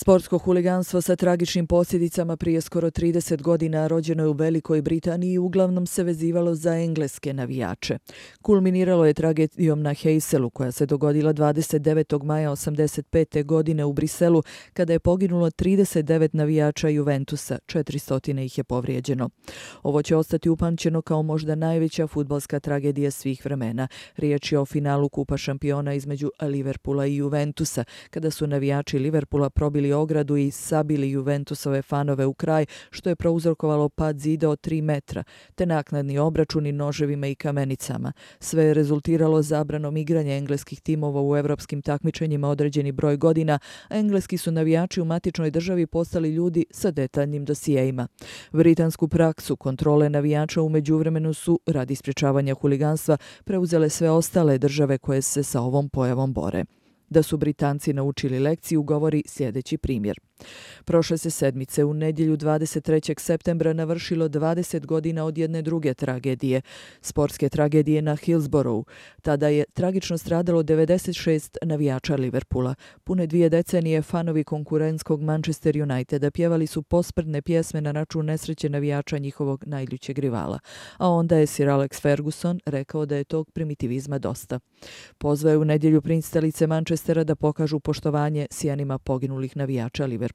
Sportsko huliganstvo sa tragičnim posljedicama prije skoro 30 godina rođeno je u Velikoj Britaniji i uglavnom se vezivalo za engleske navijače. Kulminiralo je tragedijom na Heyselu koja se dogodila 29. maja 1985. godine u Briselu kada je poginulo 39 navijača Juventusa, 400 ih je povrijeđeno. Ovo će ostati upamćeno kao možda najveća fudbalska tragedija svih vremena. Riječ je o finalu Kupa šampiona između Liverpoola i Juventusa, kada su navijači Liverpoola probili ogradu i sabili Juventusove fanove u kraj, što je prouzrokovalo pad zida od 3 metra, te naknadni obračuni noževima i kamenicama. Sve je rezultiralo zabranom igranja engleskih timova u evropskim takmičenjima određeni broj godina, a engleski su navijači u matičnoj državi postali ljudi sa detaljnim dosijeima. Britansku praksu kontrole navijača u međuvremenu su, radi sprječavanja huliganstva, preuzele sve ostale države koje se sa ovom pojavom bore. Da su Britanci naučili lekciju govori sljedeći primjer. Prošle se sedmice u nedjelju 23. septembra navršilo 20 godina od jedne druge tragedije, sportske tragedije na Hillsboroughu. Tada je tragično stradalo 96 navijača Liverpoola. Pune 2 decenije fanovi konkurentskog Manchester Uniteda pjevali su posprdne pjesme na račun nesreće navijača njihovog najljućeg rivala. A onda je Sir Alex Ferguson rekao da je tog primitivizma dosta. Pozvao je u nedjelju pristalice Manchestera da pokažu poštovanje sjenima poginulih navijača Liverpoola.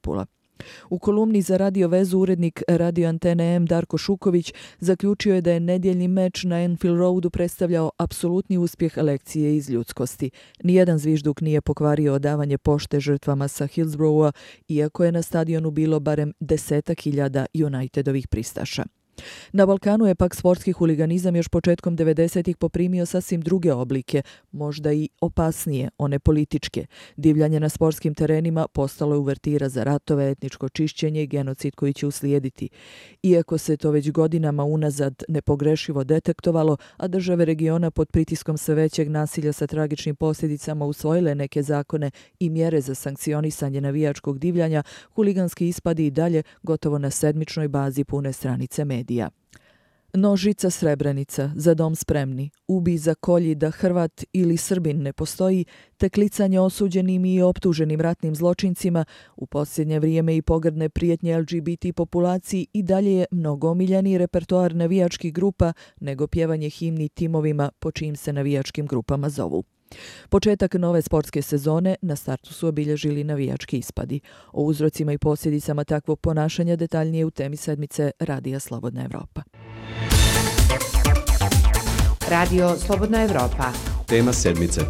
U kolumni za Radio Vezu urednik Radio Antene M Darko Šuković zaključio je da je nedjeljni meč na Anfield Roadu predstavljao apsolutni uspjeh lekcije iz ljudskosti. Nijedan zvižduk nije pokvario odavanje pošte žrtvama sa Hillsborougha, iako je na stadionu bilo barem 10.000 Unitedovih pristaša. Na Balkanu je pak sportski huliganizam još početkom 90-ih poprimio sasvim druge oblike, možda i opasnije, one političke. Divljanje na sportskim terenima postalo je uvertira za ratove, etničko čišćenje i genocid koji će uslijediti. Iako se to već godinama unazad nepogrešivo detektovalo, a države regiona pod pritiskom sve većeg nasilja sa tragičnim posljedicama usvojile neke zakone i mjere za sankcionisanje navijačkog divljanja, huliganski ispadi i dalje gotovo na sedmičnoj bazi pune stranice medija. Nožica Srebrenica, Za dom spremni, Ubi za kolji da Hrvat ili Srbin ne postoji, te klicanje osuđenim i optuženim ratnim zločincima, u posljednje vrijeme i pogrdne prijetnje LGBT populaciji i dalje je mnogo omiljeniji repertoar navijačkih grupa nego pjevanje himni timovima po čijim se navijačkim grupama zovu. Početak nove sportske sezone na startu su obilježili navijački ispadi. O uzrocima i posljedicama takvog ponašanja detaljnije u temi sedmice Radija Slobodna Evropa. Radio Slobodna Evropa. Tema sedmice.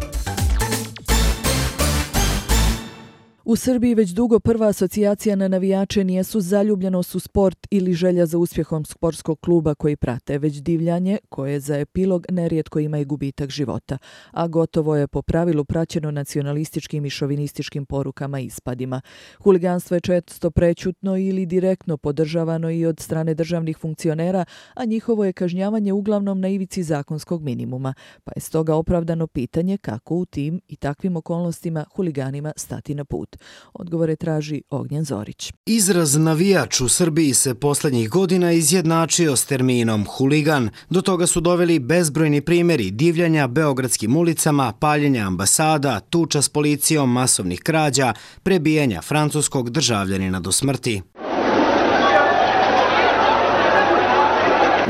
U Srbiji već dugo prva asocijacija na navijače nijesu zaljubljenost u sport ili želja za uspjehom sportskog kluba koji prate, već divljanje koje za epilog nerijetko ima i gubitak života, a gotovo je po pravilu praćeno nacionalističkim i šovinističkim porukama i ispadima. Huliganstvo je često prećutno ili direktno podržavano i od strane državnih funkcionera, a njihovo je kažnjavanje uglavnom na ivici zakonskog minimuma, pa je stoga opravdano pitanje kako u tim i takvim okolnostima huliganima stati na put. Odgovore traži Ognjen Zorić. Izraz navijač u Srbiji se posljednjih godina izjednačio s terminom huligan. Do toga su doveli bezbrojni primjeri divljanja beogradskim ulicama, paljenja ambasada, tuča s policijom, masovnih krađa, prebijanja francuskog državljanina do smrti.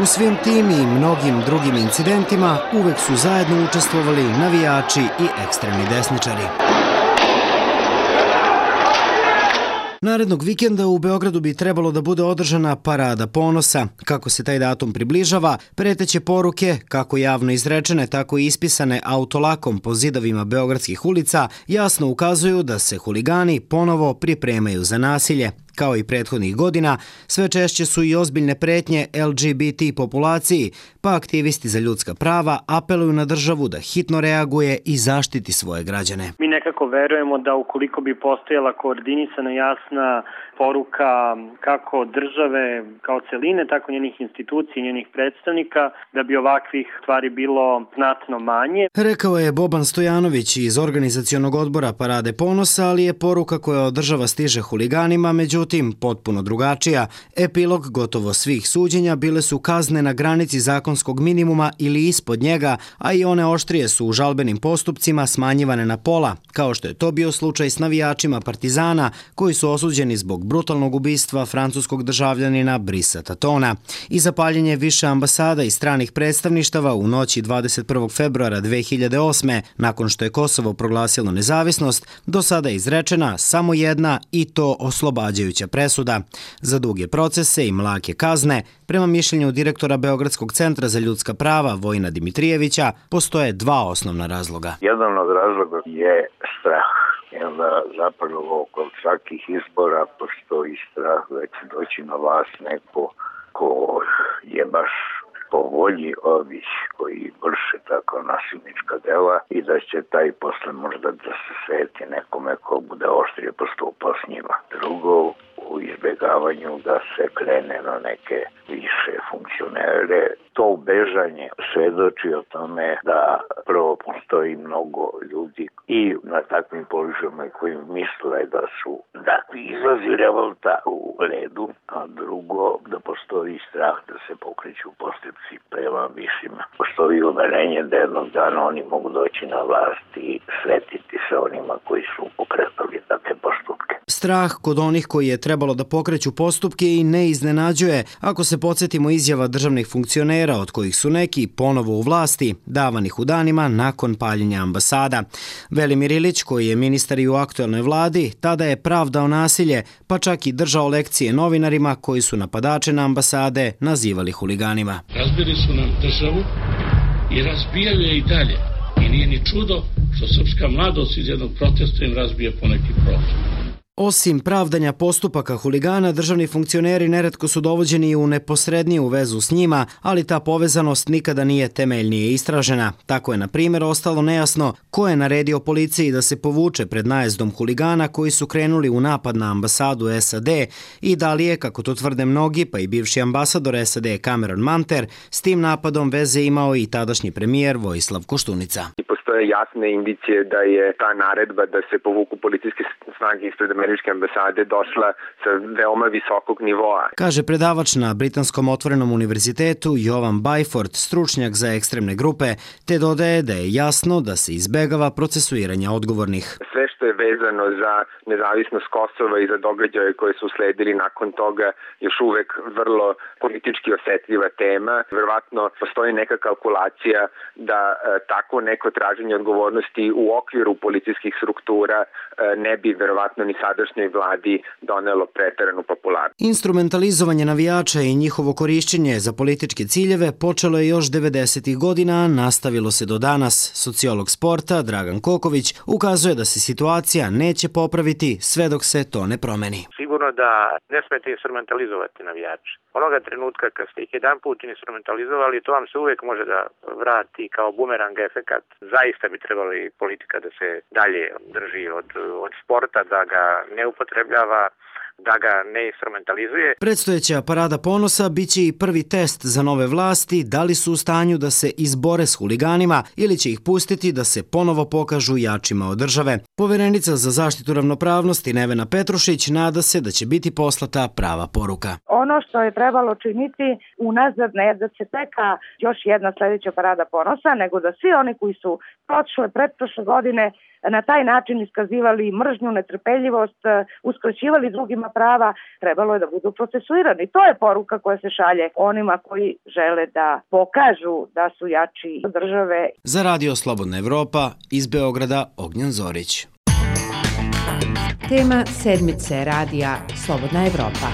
U svim tim i mnogim drugim incidentima uvek su zajedno učestvovali navijači i ekstremni desničari. Narednog vikenda u Beogradu bi trebalo da bude održana Parada ponosa. Kako se taj datum približava, preteće poruke, kako javno izrečene, tako i ispisane autolakom po zidovima beogradskih ulica, jasno ukazuju da se huligani ponovo pripremaju za nasilje. Kao i prethodnih godina, sve češće su i ozbiljne pretnje LGBT populaciji, pa aktivisti za ljudska prava apeluju na državu da hitno reaguje i zaštiti svoje građane. Mi nekako verujemo da ukoliko bi postojala koordinisana jasna poruka kako države kao celine, tako njenih institucija i njenih predstavnika, da bi ovakvih stvari bilo znatno manje. Rekao je Boban Stojanović iz organizacionog odbora Parade ponosa, ali je poruka koja od država stiže huliganima, međutim, međutim potpuno drugačija. Epilog gotovo svih suđenja bile su kazne na granici zakonskog minimuma ili ispod njega, a i one oštrije su u žalbenim postupcima smanjivane na pola, kao što je to bio slučaj s navijačima Partizana koji su osuđeni zbog brutalnog ubistva francuskog državljanina Brisa Tatona i za paljenje više ambasada i stranih predstavništava u noći 21. februara 2008. nakon što je Kosovo proglasilo nezavisnost, do sada je izrečena samo jedna i to oslobađajuća presuda. Za duge procese i mlake kazne, prema mišljenju direktora Beogradskog centra za ljudska prava Vojina Dimitrijevića, postoje dva osnovna razloga. Jedan od razloga je strah. Onda zapravo kod svakih izbora postoji strah da će doći na vlast neko ko je baš po volji ovih koji vrše tako nasilnička dela i da će taj posle možda da se sveti nekome ko bude oštrije postupao s njima. Drugo, u izbjegavanju da se krene na neke više funkcionere. To bežanje svedoči o tome da prvo postoji mnogo ljudi i na takvim položajima koji misle da su takvi izlazi revolta u redu, a drugo da postoji strah da se pokreću postupci prema višima. Postoji uverenje da jednog dana oni mogu doći na vlast i svetiti se onima koji su pokretali takve postupke. Strah kod onih koji je trebalo da pokreću postupke i ne iznenađuje ako se podsjetimo izjava državnih funkcionera od kojih su neki ponovo u vlasti, davanih u danima nakon paljenja ambasada. Velimir Ilić, koji je ministar i u aktuelnoj vladi, tada je pravdao nasilje, pa čak i držao lekcije novinarima koji su napadače na ambasade nazivali huliganima. Razbili su nam državu i razbijaju je i dalje. I nije ni čudo što srpska mladost iz jednog protesta im razbije poneki prostor. Osim pravdanja postupaka huligana, državni funkcioneri neretko su dovođeni u neposredniju vezu s njima, ali ta povezanost nikada nije temeljnije istražena. Tako je, na primjer, ostalo nejasno ko je naredio policiji da se povuče pred najezdom huligana koji su krenuli u napad na ambasadu SAD i da li je, kako to tvrde mnogi, pa i bivši ambasador SAD Cameron Manter, s tim napadom veze imao i tadašnji premijer Vojislav Koštunica. Postoje jasne indicije da je ta naredba da se povuku policijske snage ispred američke ambasade došla sa veoma visokog nivoa. Kaže predavač na Britanskom otvorenom univerzitetu Jovan Byford, stručnjak za ekstremne grupe, te dodaje da je jasno da se izbegava procesuiranje odgovornih. Sve što je vezano za nezavisnost Kosova i za događaje koje su sledili nakon toga još uvek vrlo politički osetljiva tema. Verovatno postoji neka kalkulacija da tako neko traženje odgovornosti u okviru policijskih struktura ne bi verovatno ni sadašnjoj vladi donelo preteranu popularnost. Instrumentalizovanje navijača i njihovo korišćenje za političke ciljeve počelo je još 90. godina, a nastavilo se do danas. Sociolog sporta Dragan Koković ukazuje da se situacija neće popraviti sve dok se to ne promeni. Sigurno da ne smete instrumentalizovati navijače. Onoga trenutka kad ste ih jedan put instrumentalizovali, to vam se uvijek može da vrati kao bumerang efekat. Zaista bi trebala i politika da se dalje drži od sporta, da ga ne upotrebljava, da ga ne instrumentalizuje. Predstojeća parada ponosa biće i prvi test za nove vlasti da li su u stanju da se izbore s huliganima ili će ih pustiti da se ponovo pokažu jačima od države. Poverenica za zaštitu ravnopravnosti Nevena Petrušić nada se da će biti poslata prava poruka. Ono što je trebalo činiti unazad ne da se čeka još jedna sljedeća parada ponosa, nego da svi oni koji su pretprošle godine na taj način iskazivali mržnju, netrpeljivost, uskraćivali drugima prava, trebalo je da budu procesuirani. To je poruka koja se šalje onima koji žele da pokažu da su jači od države. Za Radio Slobodna Evropa iz Beograda Ognjan Zorić. Tema sedmice radija Slobodna Evropa.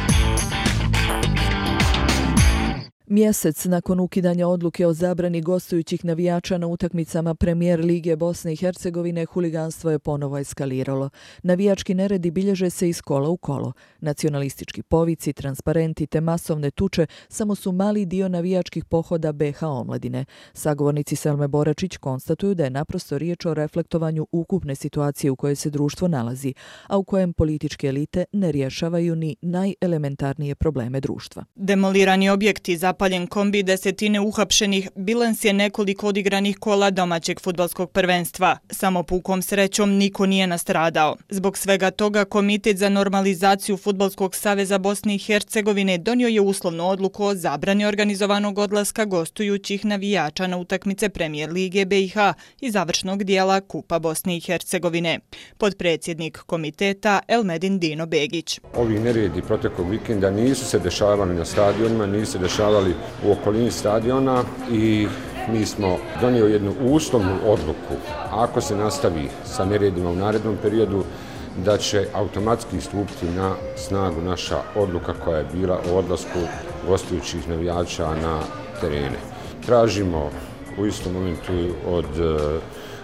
Mjesec nakon ukidanja odluke o zabrani gostujućih navijača na utakmicama Premijer Lige Bosne i Hercegovine, huliganstvo je ponovo eskaliralo. Navijački neredi bilježe se iz kola u kolo. Nacionalistički povici, transparenti te masovne tuče samo su mali dio navijačkih pohoda BH omladine. Sagovornici Selme Boračić konstatuju da je naprosto riječ o reflektovanju ukupne situacije u kojoj se društvo nalazi, a u kojem političke elite ne rješavaju ni najelementarnije probleme društva. Demolirani objekti, zapaljeni zapaljen kombi, desetine uhapšenih, bilans je nekoliko odigranih kola domaćeg fudbalskog prvenstva. Samo pukom srećom niko nije nastradao. Zbog svega toga Komitet za normalizaciju Fudbalskog saveza Bosne i Hercegovine donio je uslovnu odluku o zabrani organizovanog odlaska gostujućih navijača na utakmice Premijer Lige BiH i završnog dijela Kupa Bosne i Hercegovine. Potpredsjednik komiteta Elmedin Dino Begić. Ovi neredi proteklog vikenda nisu se dešavali na stadionima, nisu se dešavali u okolini stadiona i mi smo donijeli jednu uslovnu odluku. Ako se nastavi sa neredima u narednom periodu, da će automatski stupiti na snagu naša odluka koja je bila o odlasku gostujućih navijača na terene. Tražimo u istom momentu od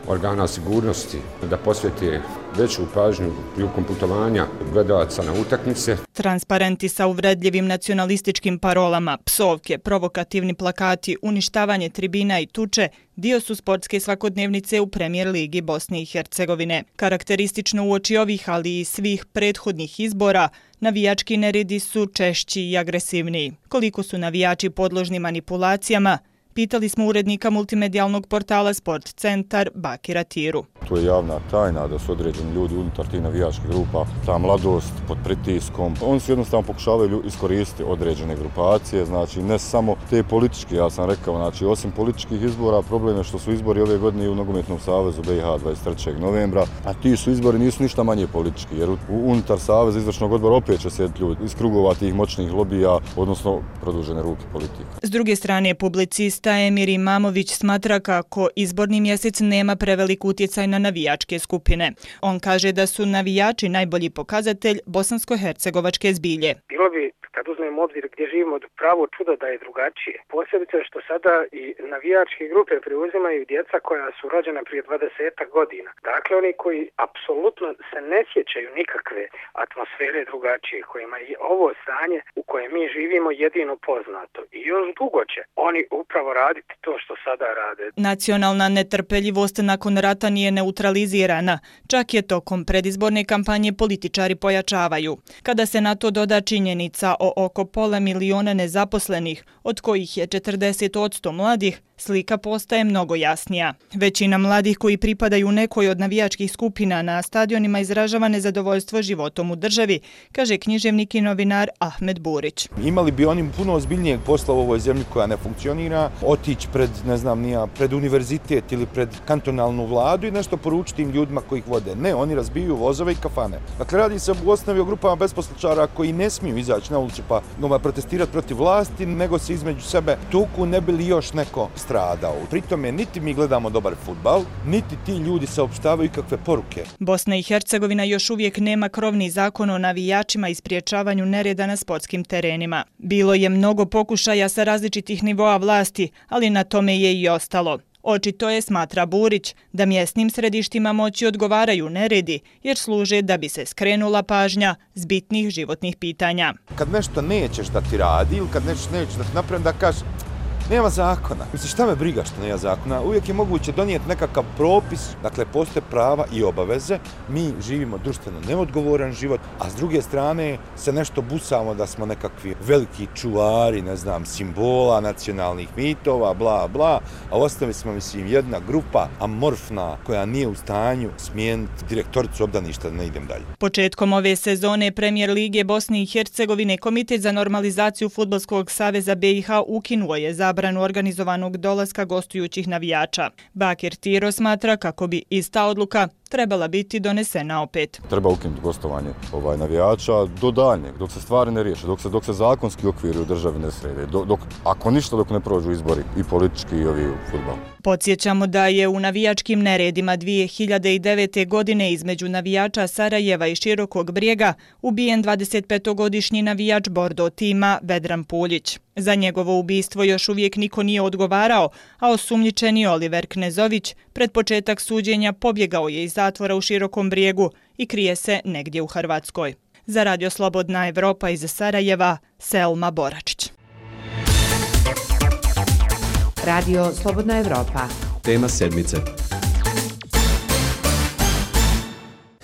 organa sigurnosti da posvete veću pažnju prilikom putovanja gledalaca na utakmice. Transparenti sa uvredljivim nacionalističkim parolama, psovke, provokativni plakati, uništavanje tribina i tuče dio su sportske svakodnevnice u Premijer Ligi Bosne i Hercegovine. Karakteristično uoči ovih, ali i svih prethodnih izbora, navijački neredi su češći i agresivniji. Koliko su navijači podložni manipulacijama, pitali smo urednika multimedijalnog portala Sport Centar Bakira Tiru. To je javna tajna da su određeni ljudi unutar tih navijačkih grupa, ta mladost pod pritiskom. Oni su jednostavno pokušavaju iskoristiti određene grupacije, znači ne samo te političke, ja sam rekao, znači osim političkih izbora, problem je što su izbori ove godine u Nogometnom savezu BiH 23. novembra, a ti su izbori nisu ništa manje politički, jer unutar saveza izvršnog odbora opet će sjediti ljudi iz krugova tih moćnih lobija, odnosno produžene ruke politika. S druge strane, publicista Emir Imamović smatra kako izborni mjesec nema prevelik utjecaj na navijačke skupine. On kaže da su navijači najbolji pokazatelj bosansko-hercegovačke zbilje. Bilo bi, kad uzmemo obzir gdje živimo, pravo čudo da je drugačije. Posebice što sada i navijačke grupe preuzimaju djeca koja su rođena prije 20 godina. Dakle, oni koji apsolutno se ne sjećaju nikakve atmosfere drugačije, kojima je ovo stanje u kojem mi živimo jedino poznato. I još dugo će oni upravo raditi to što sada rade. Nacionalna netrpeljivost nakon rata nije neutralizirana. Čak je tokom predizborne kampanje političari pojačavaju. Kada se na to doda činjenica o oko 500.000 nezaposlenih, od kojih je 40% mladih, slika postaje mnogo jasnija. Većina mladih koji pripadaju nekoj od navijačkih skupina na stadionima izražava nezadovoljstvo životom u državi, kaže književnik i novinar Ahmed Burić. Imali bi oni puno ozbiljnijeg posla u ovoj zemlji koja ne funkcionira, otići pred univerzitet ili pred kantonalnu vladu i nešto poručiti tim ljudima koji ih vode. Ne, oni razbiju vozove i kafane. Dakle, radi se u osnovi o grupama besposličara koji ne smiju izaći na ulicu pa protestirati protiv vlasti, nego se između sebe tuku ne bi li još neko stradao. Pritome niti mi gledamo dobar fudbal, niti ti ljudi saopštavaju kakve poruke. Bosna i Hercegovina još uvijek nema krovni zakon o navijačima i spriječavanju nereda na sportskim terenima. Bilo je mnogo pokušaja sa različitih nivoa vlasti, ali na tome je i ostalo. Očito je, smatra Burić, da mjesnim središtima moći odgovaraju neredi, jer služe da bi se skrenula pažnja s bitnih životnih pitanja. Kad nešto nećeš da ti radi ili kad nešto nećeš da ti napravim, da kažeš nema zakona. Mislim, šta me briga što nema zakona? Uvijek je moguće donijeti nekakav propis, dakle, postoje prava i obaveze. Mi živimo društveno neodgovoran život, a s druge strane se nešto busamo da smo nekakvi veliki čuvari, simbola, nacionalnih mitova, bla, bla, a ostavi smo, jedna grupa amorfna koja nije u stanju smijeniti direktoricu obdaništa da ne idem dalje. Početkom ove sezone Premijer Lige Bosne i Hercegovine Komitet za normalizaciju Fudbalskog saveza BiH ukinuo je zabranu organizovanog dolaska gostujućih navijača. Bakir Tiro smatra kako bi ista odluka trebala biti donesena opet. Treba ukinuti gostovanje navijača do daljnjeg, dok se stvari ne riješe, dok se zakonski okviri u državi ne srede, ako ništa dok ne prođu izbori i politički i ovi u fudbalu. Podsjećamo da je u navijačkim neredima 2009. godine između navijača Sarajeva i Širokog Brijega ubijen 25-godišnji navijač Bordo tima Vedran Puljić. Za njegovo ubistvo još uvijek niko nije odgovarao, a osumnjičeni Oliver Knezović pred početak suđenja pobjegao je iz zatvora u Širokom Brijegu i krije se negdje u Hrvatskoj. Za Radio Slobodna Evropa iz Sarajeva, Selma Boračić. Radio Slobodna Evropa. Tema sedmice.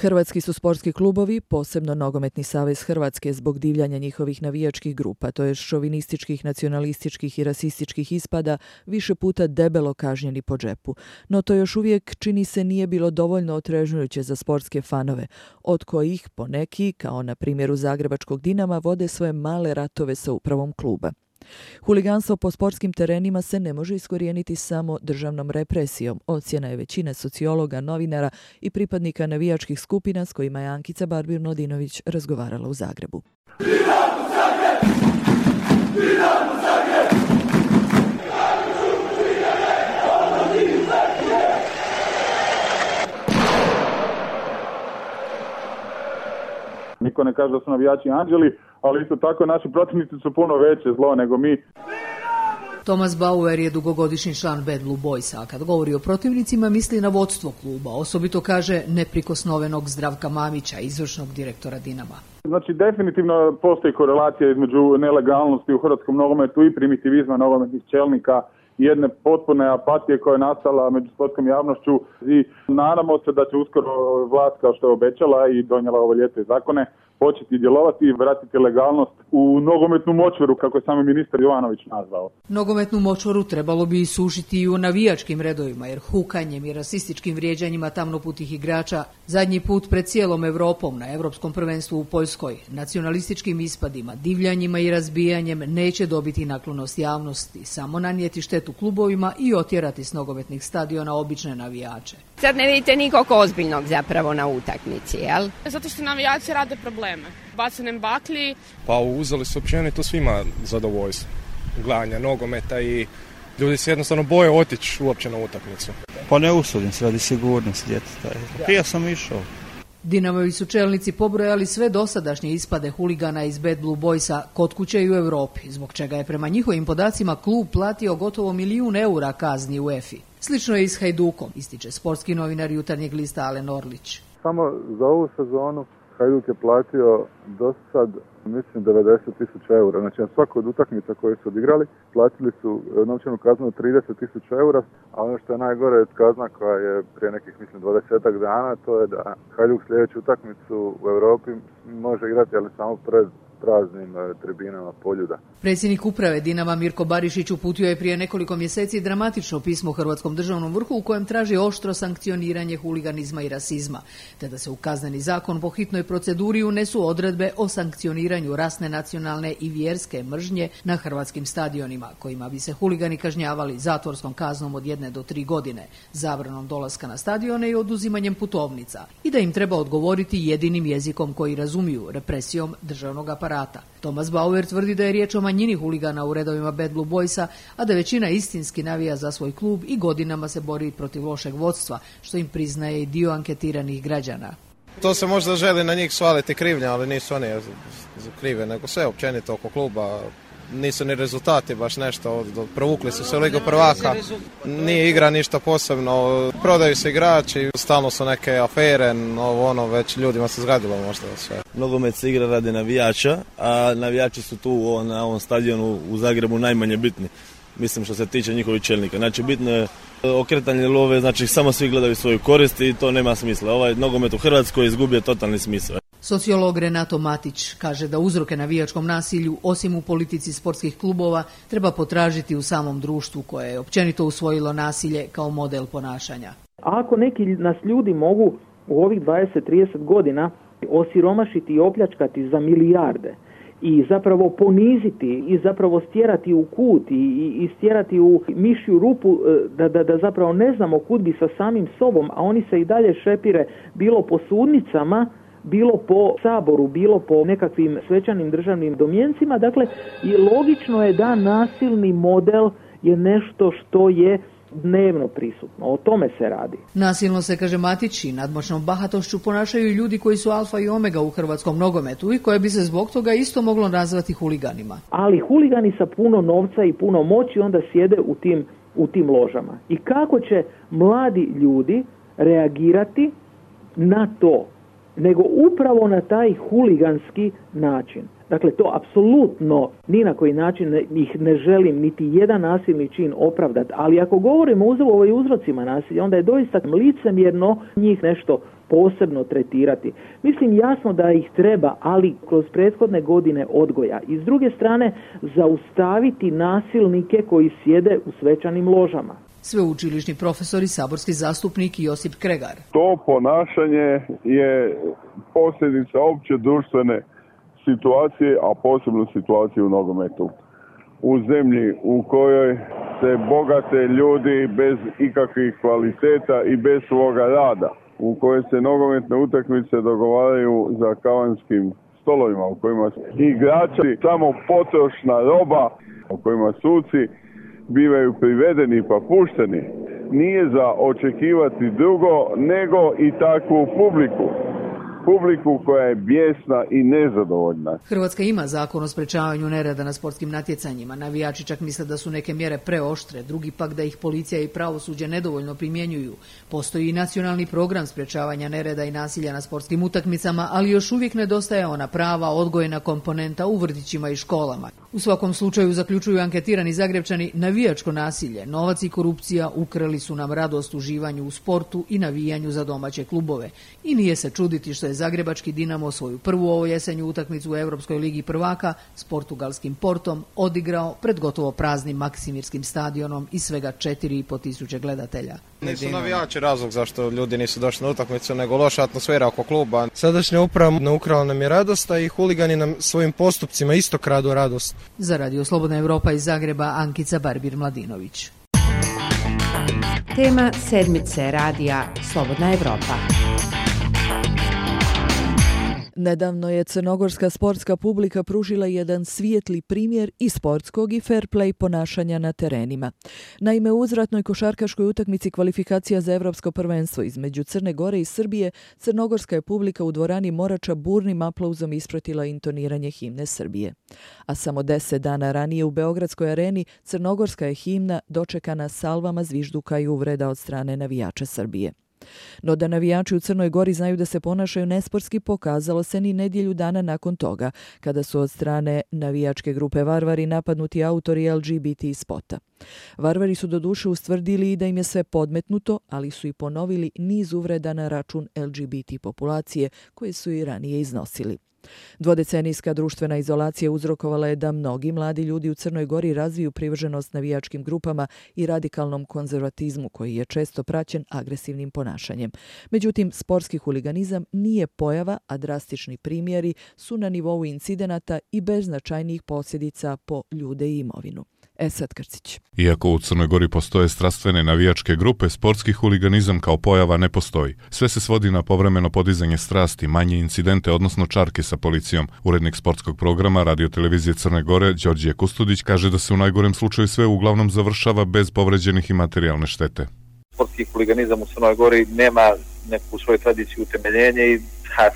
Hrvatski su sportski klubovi, posebno Nogometni savez Hrvatske, zbog divljanja njihovih navijačkih grupa, to je šovinističkih, nacionalističkih i rasističkih ispada, više puta debelo kažnjeni po džepu. No to još uvijek, čini se, nije bilo dovoljno otrežnjujuće za sportske fanove, od kojih poneki, kao na primjeru zagrebačkog Dinama, vode svoje male ratove sa upravom kluba. Huliganstvo po sportskim terenima se ne može iskorijeniti samo državnom represijom, ocjena je većine sociologa, novinara i pripadnika navijačkih skupina s kojima je Ankica Barbir-Mladinović razgovarala u Zagrebu. Dinamo Zagreb! Dinamo Zagreb! Niko ne kaže da su navijači anđeli, ali isto tako naši protivnici su puno veće zlo nego mi. Thomas Bauer je dugogodišnji član Bad Blue Boysa, a kad govori o protivnicima misli na vodstvo kluba, osobito kaže neprikosnovenog Zdravka Mamića, izvršnog direktora Dinama. Znači definitivno postoji korelacija između nelegalnosti u hrvatskom nogometu i primitivizma nogometnih čelnika, jedne potpune apatije koja je nastala među sportskom javnošću i nadamo se da će uskoro vlast, kao što je obećala i donijela ovo ljeto zakone, početi djelovati i vratiti legalnost u nogometnu močvaru, kako je sami ministar Jovanović nazvao. Nogometnu močvaru trebalo bi isušiti i u navijačkim redovima, jer hukanjem i rasističkim vrijeđanjima tamnoputih igrača zadnji put pred cijelom Europom na Europskom prvenstvu u Poljskoj, nacionalističkim ispadima, divljanjima i razbijanjem neće dobiti naklonost javnosti, samo nanijeti štetu klubovima i otjerati s nogometnih stadiona obične navijače. Sad ne vidite nikog ozbiljnog zapravo na utakmici, jel? Zato što navijači rade probleme. Bacanjem baklji. Pa uzeli su općenito svima zadovoljstvo gledanja nogometa i ljudi se jednostavno boje otići uopće na utakmicu. Pa ne usudim se radi sigurnosti djeteta. Prije sam išao. Dinamovi su čelnici pobrojali sve dosadašnje ispade huligana iz Bad Blue Boysa kod kuće i u Europi, zbog čega je prema njihovim podacima klub platio gotovo 1 milijun eura kazni UEFA-i. Slično je i s Hajdukom, ističe sportski novinar Jutarnjeg lista Alen Orlić. Samo za ovu sezonu Hajduk je platio do sad, mislim, 90.000 eura. Znači, na svakoj od utakmica koje su odigrali, platili su novčanu kaznu od 30.000 eura, a ono što je najgore od kazna koja je prije nekih, mislim, 20 dana, to je da Hajduk sljedeću utakmicu u Europi može igrati, ali samo pred praznim tribinama Poljuda. Predsjednik uprave Dinama Mirko Barišić uputio je prije nekoliko mjeseci dramatično pismo Hrvatskom državnom vrhu u kojem traži oštro sankcioniranje huliganizma i rasizma, te da se u kazneni zakon po hitnoj proceduri unesu odredbe o sankcioniranju rasne, nacionalne i vjerske mržnje na hrvatskim stadionima, kojima bi se huligani kažnjavali zatvorskom kaznom od 1 do 3 godine, zabranom dolaska na stadione i oduzimanjem putovnica, i da im treba odgovoriti jedinim jezikom koji razumiju, represijom državnog aparata. Thomas Bauer tvrdi da je riječ o manjini huligana u redovima Bad Blue Boysa, a da većina istinski navija za svoj klub i godinama se bori protiv lošeg vodstva, što im priznaje i dio anketiranih građana. To se možda želi na njih svaliti krivnja, ali nisu oni krive, nego sve općenito oko kluba. Nisu ni rezultati baš nešto, provukli su se u Ligu prvaka, nije igra ništa posebno, prodaju se igrači, stalno su neke afere, već ljudima se zgadilo možda sve. Nogomet se igra radi navijača, a navijači su tu na ovom stadionu u Zagrebu najmanje bitni. Mislim što se tiče njihovih čelnika. Znači bitno je okretanje love, znači samo svi gledaju svoju korist i to nema smisla. Ovaj nogomet u Hrvatskoj izgubio totalni smisao. Sociolog Renato Matić kaže da uzroke navijačkom nasilju, osim u politici sportskih klubova, treba potražiti u samom društvu koje je općenito usvojilo nasilje kao model ponašanja. Ako neki nas ljudi mogu u ovih 20-30 godina osiromašiti i opljačkati za milijarde i zapravo poniziti i zapravo stjerati u kut i stjerati u mišju rupu da zapravo ne znamo kud bi sa samim sobom, a oni se i dalje šepire bilo po sudnicama, bilo po saboru, bilo po nekakvim svečanim državnim domjencima. Dakle, i logično je da nasilni model je nešto što je dnevno prisutno. O tome se radi. Nasilno se, kaže Matić, i nadmoćnom bahatošću ponašaju ljudi koji su alfa i omega u hrvatskom nogometu i koje bi se zbog toga isto moglo nazvati huliganima. Ali huligani sa puno novca i puno moći onda sjede u tim ložama. I kako će mladi ljudi reagirati na to, nego upravo na taj huliganski način. Dakle, to apsolutno ni na koji način ih ne želim niti jedan nasilni čin opravdati, ali ako govorimo o uzrocima nasilja, onda je doista licemjerno njih nešto posebno tretirati. Mislim jasno da ih treba, ali kroz prethodne godine odgoja. I s druge strane zaustaviti nasilnike koji sjede u svečanim ložama. Sveučilišni profesor i saborski zastupnik Josip Kregar. To ponašanje je posljedica opće društvene situacije, a posebno situacije u nogometu. U zemlji u kojoj se bogate ljudi bez ikakvih kvaliteta i bez svoga rada, u kojoj se nogometne utakmice dogovaraju za kavanskim stolovima, u kojima igrači samo potrošna roba, u kojima suci bivaju privedeni pa pušteni, nije za očekivati drugo nego i takvu publiku koja je bijesna i nezadovoljna. Hrvatska ima zakon o sprečavanju nereda na sportskim natjecanjima. Navijači čak misle da su neke mjere preoštre, drugi pak da ih policija i pravosuđe nedovoljno primjenjuju. Postoji i nacionalni program sprečavanja nereda i nasilja na sportskim utakmicama, ali još uvijek nedostaje ona prava odgojna komponenta u vrtićima i školama. U svakom slučaju, zaključuju anketirani Zagrepčani, navijačko nasilje, novac i korupcija ukrali su nam radost uživanju u sportu i navijanju za domaće klubove. I nije se čuditi što je zagrebački Dinamo svoju prvu ovo jesenju utakmicu u Europskoj ligi prvaka s portugalskim Portom odigrao pred gotovo praznim Maksimirskim stadionom i svega 4.500 gledatelja. Nisu navijači razlog zašto ljudi nisu došli na utakmicu, nego loša atmosfera oko kluba. Sadašnja uprava ukrala nam je radost, a i huligani nam svojim postupcima isto kradu radost. Za Radio Slobodna Europa iz Zagreba, Ankica Barbir-Mladinović. Tema sedmice radija Slobodna Europa. Nedavno je crnogorska sportska publika pružila jedan svijetli primjer i sportskog i fair play ponašanja na terenima. Naime, u uzratnoj košarkaškoj utakmici kvalifikacija za Evropsko prvenstvo između Crne Gore i Srbije, crnogorska je publika u dvorani Morača burnim aplauzom ispratila intoniranje himne Srbije. A samo 10 dana ranije u Beogradskoj areni crnogorska je himna dočekana salvama zvižduka i uvreda od strane navijača Srbije. No da navijači u Crnoj Gori znaju da se ponašaju nesportski pokazalo se ni nedjelju dana nakon toga, kada su od strane navijačke grupe Varvari napadnuti autori LGBT spota. Varvari su doduše ustvrdili i da im je sve podmetnuto, ali su i ponovili niz uvreda na račun LGBT populacije koje su i ranije iznosili. Dvodecenijska društvena izolacija uzrokovala je da mnogi mladi ljudi u Crnoj Gori razviju privrženost navijačkim grupama i radikalnom konzervatizmu koji je često praćen agresivnim ponašanjem. Međutim, sportski huliganizam nije pojava, a drastični primjeri su na nivou incidenata i bez značajnijih posljedica po ljude i imovinu. Esad Krcić. Iako u Crnoj Gori postoje strastvene navijačke grupe, sportski huliganizam kao pojava ne postoji. Sve se svodi na povremeno podizanje strasti, manje incidente, odnosno čarke sa policijom. Urednik sportskog programa radiotelevizije Crne Gore, Đorđije Kustudić, kaže da se u najgorem slučaju sve uglavnom završava bez povređenih i materijalne štete. Sportski huliganizam u Crnoj Gori nema neku svoju tradiciju utemeljenje i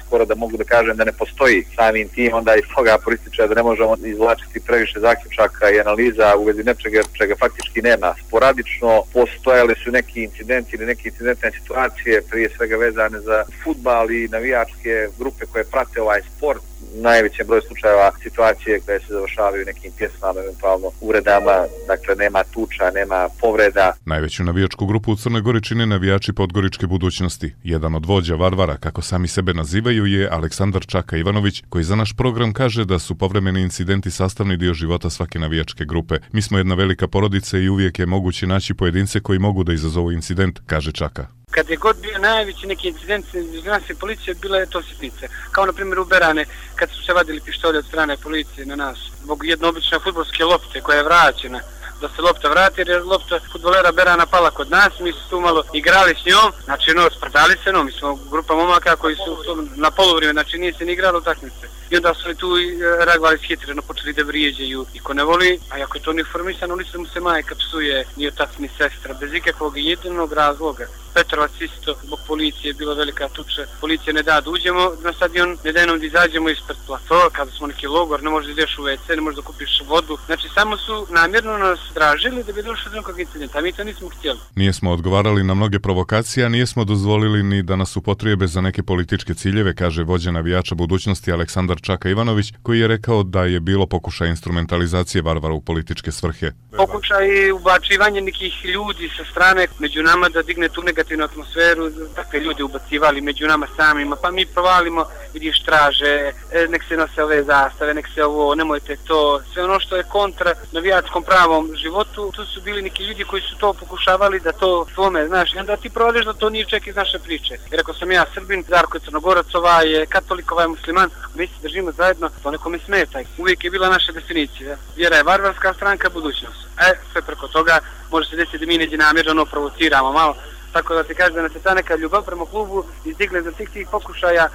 skoro da mogu da kažem da ne postoji samim tim, onda iz toga proističe da ne možemo izvlačiti previše zaključaka i analiza u vezi nečega čega faktički nema. Sporadično postojale su neki incidenti ili neke incidentne situacije, prije svega vezane za fudbal i navijačke grupe koje prate ovaj sport. Najvećem broju slučajeva situacije koje se završavaju nekim pjesmama, eventualno uvredama, dakle nema tuča, nema povreda. Najveću navijačku grupu u Crnoj Gori čine navijači Podgoričke budućnosti. Jedan od vođa Varvara, kako sami sebe nazivaju, je Aleksandar Čaka Ivanović, koji za naš program kaže da su povremeni incidenti sastavni dio života svake navijačke grupe. Mi smo jedna velika porodica i uvijek je moguće naći pojedince koji mogu da izazovu incident, kaže Čaka. Kad je god bio najveći neki incident između nas i policije, bila je to sitnice. Kao na primjer u Berane, kad su se vadili pištolje od strane policije na nas. Zbog jedne obične fudbalske lopte koja je vraćena, da se lopta vrati, jer je lopta fudbalera Berana pala kod nas, mi smo tu malo igrali s njom, znači sprdali se, mi smo grupa momaka koji su na polovrijeme, znači nije se ni igralo utakmice. I onda su tu reagovali shitreno, počeli da vrijeđaju i ko ne voli, a ako je to uniformisano, lice mu se majka psuje, ni otac ni sestra, bez ikakvog jedinog razloga. Petrovac isto, zbog policije, bila velika tuča, policija ne da uđemo na stadion, ne da nam da izađemo ispred platoa, kada smo neki logor, ne možeš da ideš u WC, ne možeš da kupiš vodu. Znači samo su namjerno nas tražili da bi došli do nekog incidenta, a mi to nismo htjeli. Nismo odgovarali na mnoge provokacije, a nismo dozvolili ni da nas upotrijebe za neke političke ciljeve, kaže vođa navijača budućnosti Aleksandar Čaka Ivanović, koji je rekao da je bilo pokušaj instrumentalizacije Varvara u političke svrhe. Pokušaj ubačivanje nekih ljudi sa strane među nama da digne tu negativnost negativnu atmosferu, takve ljudi ubacivali među nama samima, pa mi provalimo, vidiš, traže, nek se nose ove zastave, nek se ovo, nemojte to, sve ono što je kontra navijačkom pravom životu, tu su bili neki ljudi koji su to pokušavali da to svome, znaš, i onda ti provališ da to nije čak iz naše priče. Jer ako sam ja Srbin, Darko je Crnogorac, ovaj je katolik, ovaj je musliman, mi se držimo zajedno, to nekome smeta. Uvijek je bila naša definicija. Vjera je varvarska, stranka budućnost. Sve preko toga može se desiti da mi neđe namjerno provociramo malo. Tako da ti kažem da nas je ta neka ljubav prema klubu izdigle za tih pokušaja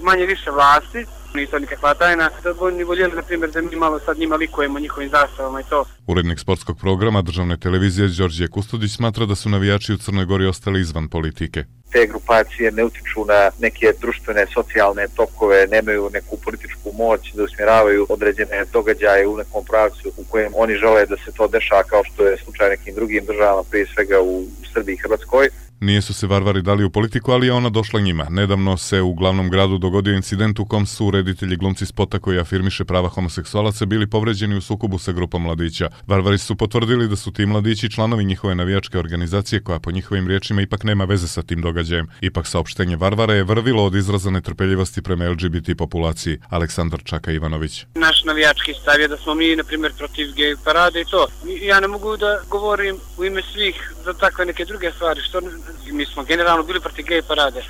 manje više vlasti. Nije to nikakva tajna. Da bi oni voljeli, na primjer, da mi malo sad njima likujemo njihovim zastavama i to. Urednik sportskog programa državne televizije Đorđe Kustudić smatra da su navijači u Crnoj Gori ostali izvan politike. Te grupacije ne utiču na neke društvene, socijalne tokove, nemaju neku političku moć da usmjeravaju određene događaje u nekom pravcu u kojem oni žele da se to dešava, kao što je slučaj nekim drugim državama, prije svega u Srbiji i Hrvatskoj. Nije su se varvari dali u politiku, ali je ona došla njima. Nedavno se u glavnom gradu dogodio incident u kom su reditelji glumci spota koji afirmiše prava homoseksualaca bili povređeni u sukobu sa grupom mladića. Varvari su potvrdili da su ti mladići članovi njihove navijačke organizacije koja po njihovim riječima ipak nema veze sa tim događajem. Ipak saopštenje Varvara je vrvilo od izraza netrpeljivosti prema LGBT populaciji. Aleksandar Čaka Ivanović. Naš navijački stav je da smo mi, na primjer, protiv gej parade i to. Ja ne mogu da govorim u ime svih za takve neke druge stvari, što mi smo generalno bili protiv gej parade.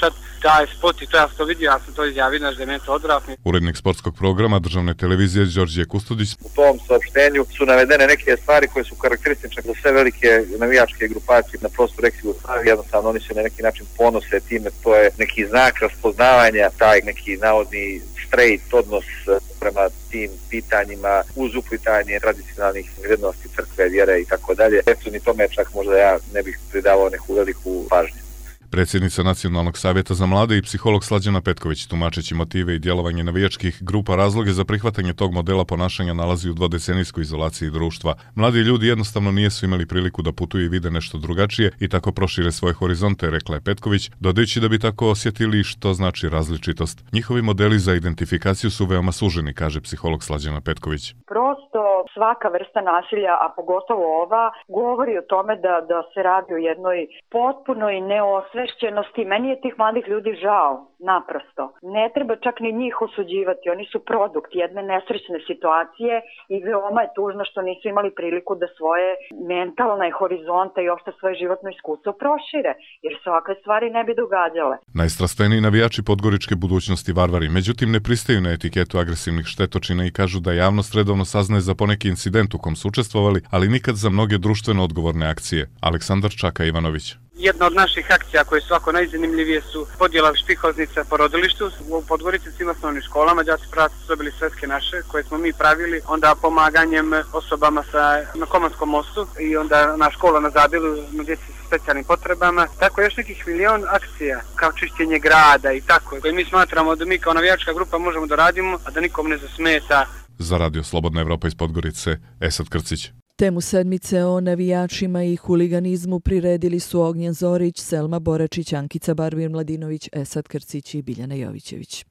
Sad, taj spot i to ja sam to vidio, ja sam to izjavio, znaš da je meni to odvratno. Urednik sportskog programa državne televizije Đorđe Kustudić. U tom saopštenju su navedene neke stvari koje su karakteristične za sve velike navijačke grupacije na prostoru ex-Jugoslavije. Jednostavno oni se na neki način ponose time, to je neki znak raspoznavanja, taj neki navodni straight odnos prema tim pitanjima uz uplitanje tradicionalnih vrijednosti crkve, vjere i tako dalje. Eto, ni tome čak možda ja ne bih pridavao neku veliku pažnju. Predsjednica Nacionalnog savjeta za mlade i psiholog Slađana Petković, tumačeći motive i djelovanje navijačkih grupa, razloge za prihvatanje tog modela ponašanja nalazi u dvodecenijskoj izolaciji društva. Mladi ljudi jednostavno nisu imali priliku da putuju i vide nešto drugačije i tako prošire svoje horizonte, rekla je Petković, dodajući da bi tako osjetili što znači različitost. Njihovi modeli za identifikaciju su veoma suženi, kaže psiholog Slađana Petković. Prosto svaka vrsta nasilja, a pogotovo ova, govori o tome da se radi o jednoj potpunoj neosvešćenosti. Meni je tih mladih ljudi žao, naprosto. Ne treba čak ni njih osuđivati, oni su produkt jedne nesrećne situacije i veoma je tužno što nisu imali priliku da svoje mentalne horizonte i uopšte svoje životno iskustvo prošire, jer se ovakve stvari ne bi događale. Najstrastveniji navijači podgoričke budućnosti Varvari, međutim ne pristaju na etiketu agresivnih štetočina i kažu da javnost redovno saznaje za poneki incident u kom su učestvovali, ali nikad za mnoge društveno odgovorne akcije. Aleksandar Čaka Ivanović. Jedna od naših akcija koje su ovako najzanimljivije su podjela štihoznica po rodilištu. U Podgorici svim osnovnim školama, đaci pravaci su dobili sveske naše koje smo mi pravili, onda pomaganjem osobama na Komanskom mostu i onda na škola na Zabilu, na djeci sa specijalnim potrebama. Tako još nekih milion akcija, kao čišćenje grada i tako, koje mi smatramo da mi kao navijačka grupa možemo da radimo, a da nikom ne zasmeta. Za Radio Slobodna Evropa iz Podgorice, Esad Krcić. Temu sedmice o navijačima i huliganizmu priredili su Ognjen Zorić, Selma Boračić, Ankica Barbir Mladinović, Esad Krcić i Biljana Jovićević.